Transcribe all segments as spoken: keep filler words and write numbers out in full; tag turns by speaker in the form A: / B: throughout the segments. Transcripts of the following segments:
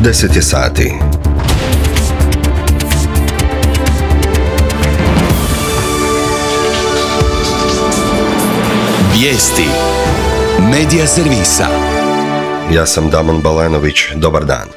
A: deset je sati.
B: Vijesti Medija servisa.
A: Ja sam Damon Balenović, dobar dan.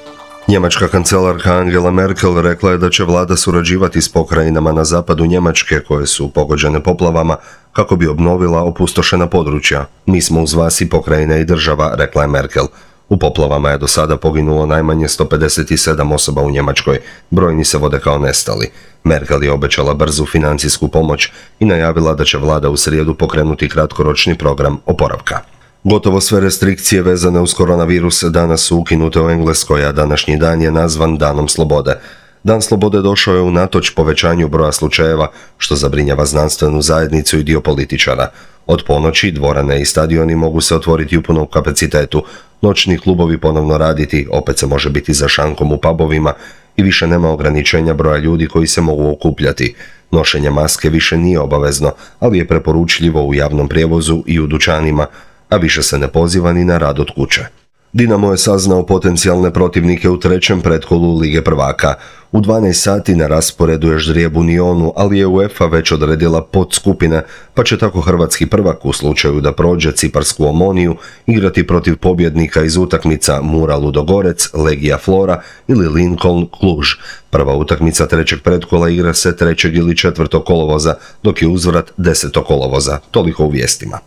A: Njemačka kancelarka Angela Merkel rekla je da će vlada surađivati s pokrajinama na zapadu Njemačke koje su pogođene poplavama kako bi obnovila opustošena područja. Mi smo uz vas i pokrajine i država, rekla je Merkel. U poplavama je do sada poginulo najmanje sto pedeset sedam osoba u Njemačkoj, brojni se vode kao nestali. Merkel je obećala brzu financijsku pomoć i najavila da će vlada u srijedu pokrenuti kratkoročni program oporavka. Gotovo sve restrikcije vezane uz koronavirus danas su ukinute u Engleskoj, a današnji dan je nazvan Danom slobode. Dan slobode došao je unatoč povećanju broja slučajeva, što zabrinjava znanstvenu zajednicu i dio političara. Od ponoći dvorane i stadioni mogu se otvoriti u punom kapacitetu, noćni klubovi ponovno raditi, opet se može biti za šankom u pubovima i više nema ograničenja broja ljudi koji se mogu okupljati. Nošenje maske više nije obavezno, ali je preporučljivo u javnom prijevozu i u dućanima, a više se ne poziva ni na rad od kuće. Dinamo je saznao potencijalne protivnike u trećem pretkolu Lige prvaka. U dvanaest sati na rasporedu je ždrijeb u Nionu, ali je UEFA već odredila podskupine, pa će tako hrvatski prvak u slučaju da prođe ciparsku Omoniju igrati protiv pobjednika iz utakmica Mura Ludogorec, Legija Flora ili Lincoln Cluj. Prva utakmica trećeg pretkola igra se trećeg ili četvrtog kolovoza, dok je uzvrat desetog kolovoza. Toliko u vijestima.